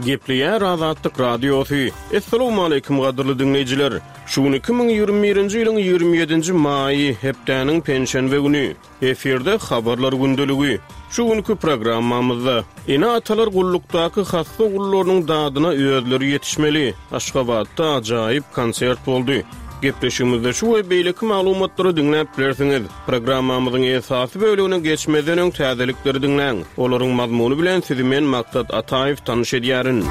Gepleýär Azatlyk Radiosy. Essalawmaleýkim gadyrly diňleýjiler! Şu gün 2021-nji ýylyň 27-nji maýy, hepdäniň penşenbe güni. Efirde Habarlar gündeligi. Şu günki programmamyzda, Ene-atalar gullukdaky hassa ogullarynyň dadyna özleri ýetişmeli. Aşgabatda ajaýyp konsert boldy. Gepleşigimizde şu we beýleki maglumatlary diňläp bilersiňiz. Programmamyzyň esasy bölegine geçmezden öň täzelikleri diňläň. Olaryň mazmuny bilen sizi men Maksat Ataýew tanyş edýärin.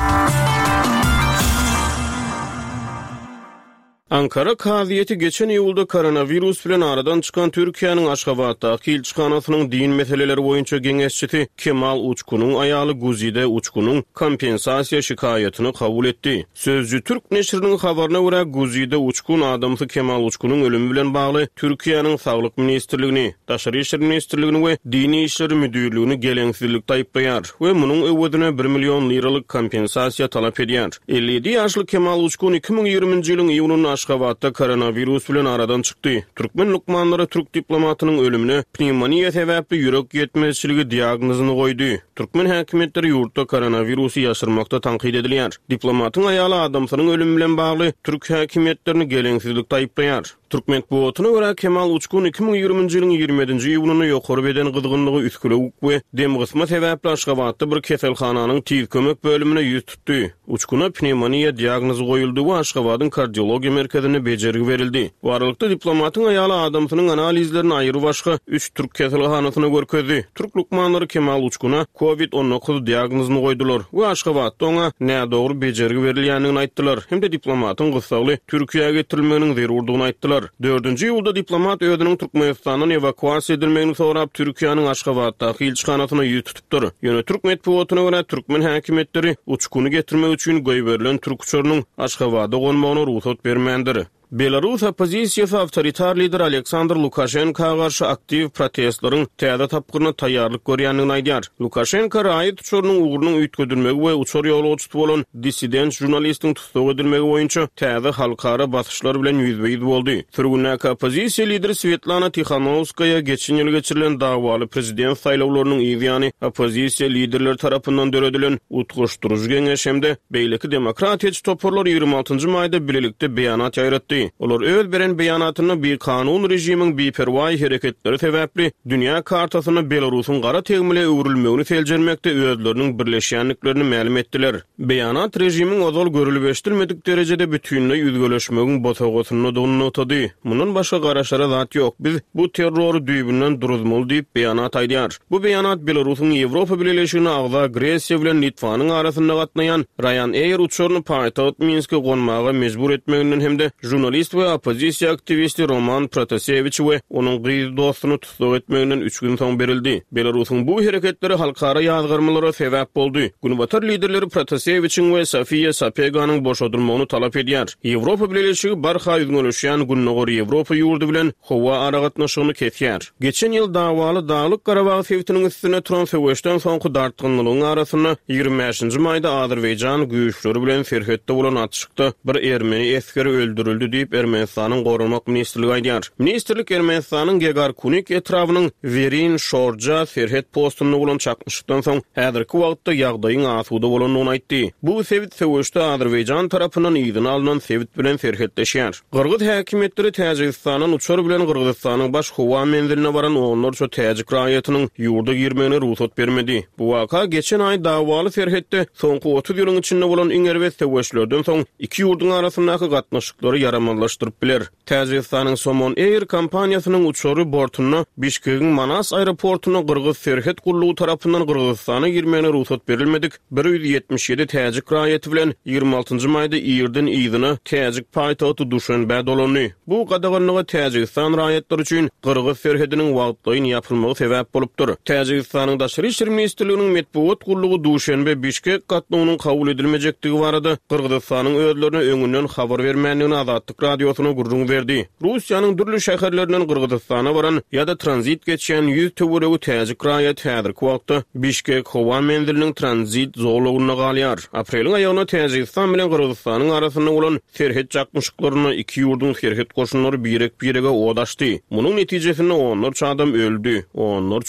Ankara kazyýeti geçen iýulda koronawirus bilen aradan çykan Türkiýäniň Aşgabatdaky ilçihanasynyň din meseleleri boýunça geňeşçisi Kemal Uçkunyň aýaly Guzide Uçkunyň kompensasiýa şikaýatyny kabul etdi. Sözcü türk neşiriniň habaryna görä, Guzide Uçkun adamsy Kemal Uçkunyň ölümi bilen bagly Türkiýäniň Saglyk ministrligini, Daşary işler ministrligini we Dini işleri müdirligini geleňsizlikde aýyplaýar we munuň öwezine bir million liralyk kompensasiýa talap edýär. 57 ýaşly Kemal Uçkun 2020-nji ýylyň iýunynda Aşgabatda koronawirus bilen aradan çykdy. Türkmen lukmanlary türk diplomatynyň ölümine pnewmoniýa sebäpli ýürek ýetmezçiligi diagnozyny goýdy. Türkmen häkimiýetleri ýurtda koronawirusy ýaşyrmakda tankyt edilýär. Diplomatyň aýaly adamsynyň ölümi bilen bagly türk häkimiýetlerini geleňsizlikde aýyplaýar. Türk metbugatyna görä, Kemal Uçkun 2020-nji ýylyň 27-nji iýunynda ýokary beden gyzgynlygy, üsgülewük we demgysma sebäpli Aşgabatda bir keselhananyň tiz kömek bölümine ýüz tutdy. Uçkuna pnewmoniýa diagnozy goýuldy we Aşgabadyň kardiologiýa merkezinde bejergi berildi. Bu aralykda, diplomatyň aýaly adamsynyň analizlerini aýrybaşga üç türk keselhanasyna görkezdi. Türk lukmanlary Kemal Uçkuna Covid 19 diagnozyny goýdular we Aşgabatda oňa nädogry bejergi berilýändigini aýtdylar hem-de diplomatyň gyssagly Türkiýä getirilmeginiň zerurdygyny aýtdylar. Dördünji iýulda diplomat özüniň Türkmenistandan ewakuasiýa edilmegini sorap, Türkiýäniň Aşgabatdaky ilçihanasyna ýüz tutupdyr. Ýöne türk metbugatyna görä, türkmen häkimiýetleri Uçkuny getirmek üçin goýberilen türk uçarynyň Aşgabada gonmagyna rugsat bermändir. Belarus oppozisiýasy awtoritar lider Aleksandr Lukaşenka garşy aktiw protestleriň täze tapgyryna taýýarlyk görýändigini aýdýar. Lukaşenka raýat uçarynyň ugrunyň üýtgedilmegi we uçar ýolagçysy bolan dissident žurnalistiň tussag edilmegi boýunça täze halkara basyşlar bilen ýüzbe-ýüz boldy. Sürgündäki oppozisiýa lideri Swetlana Tihanowskaýa geçen ýyl geçirilen dawaly prezident saýlawlarynyň yz ýany oppozisiýa liderleri tarapyndan döredilen Utgaşdyryjy geňeş hem-de beýleki demokratiýaçy toparlar 26 njy maýda bilelikde beýanat ýaýratdy. Olar öz beren beýanatynda bikanun režimiň biperwaý hereketleri sebäpli dünýä kartasynda Belarusyň gara tegmile öwrülmegini seljermekde özleriniň birleşýändiklerini mälim etdiler. Beýanat režimiň ozal görülip-eşidilmedik derejede bütinleý üzgeleşmegiň bosagasyndadygyny nygtady. Mundan başga garaşara zat ýok, biz bu terrory düýbünden duruzmaly diýip, beýanat aýdýar. Bu beýanat Belarusyň Ýewropa Bileleşigine agza Gresiýa bilen Litwanyň arasynda gatnaýan Ryanair uçaryny paýtagt Minske gonmaga mejbur etmeginden hem-de žurnalist we oppozisiýa aktiwisti Roman Protasewiçi we onuň gyz dostuny tussag etmeginden üç gün soň berildi. Belarusyň bu hereketleri halkara ýazgarmalara sebäp boldy. Günbatar liderleri Protasewiçiň we Sofiýa Sapeganyň boşadylmagyny talap edýär. Ýewropa Bileleşigi barha üzňeleşýän Gündogar Ýewropa ýurdy bilen howa aragatnaşygyny kesýär. Geçen ýyl dawaly Daglyk-Garabag sebitiniň üstünde turan söweşden soňky dartgynlylygyň arasynda, 25-nji maýda azerbaýjan güýçleri bilen serhetde bolan atyşykda bir ermeni esgeri öldürildi diýip, Ermenistanyň Goranmak ministrligi aýdýar. Ministrlik Ermenistanyň Gegarkunik etrabynyň Werin Şorja serhet postunda bolan çaknyşykdan soň, häzirki wagtda ýagdaýyň asuda bolandygyny aýtdy. Bu sebit söweşde Azerbaýjan tarapyndan yzyna alnan sebit bilen serhetleşýär. Gyrgyz häkimiýetleri Täjigistandan uçar bilen Gyrgyzystanyň baş howa menziline baran onlarça täjik raýatynyň ýurda girmegine rugsat bermedi. Bu waka geçen aý dawaly serhetde soňky 30 ýylyň içinde bolan iň erbet söweşlerden soň iki ýurduň arasyndaky gatnaşyklary ýaramazlaşdyryp biler. Täjigistanyň Somon Air kompaniýasynyň uçary bortunda Bişkegiň Manas aeroportunda gyrgyz serhet gullugy tarapyndan Gyrgyzystana girmegine rugsat berilmedik 177 täjik raýaty bilen 26-njy maýda irden yzyna täjik paýtagty Duşenbä dolandy. Bu gadaganlyga Täjigistan raýatlary üçin gyrgyz serhediniň wagtlaýyn ýapylmagy sebäp bolupdyr. Täjigistanyň Daşary işler ministrliginiň metbugat gullugy Duşenbe-Bişkek gatnawynyň kabul edilmejekdigi barada Gyrgyzystanyň özlerine öňünden habar bermändigini Azatlyk Radiosyna gürrüň berdi. Russiýanyň dürli şäherlerinden Gyrgyzystana baran ýa-da tranzit geçýän ýüz töweregi täjik raýaty häzirki wagtda Bişkek howa menziliniň tranzit zolagynda galýar. Apreliň aýagynda Täjigistan bilen Gyrgyzystanyň arasynda bolan Serhet çaknyşyklarynda iki ýurduň serhet goşunlary birek-birege ot açdy. Munuň netijesinde onlarça adam öldi, onlarça.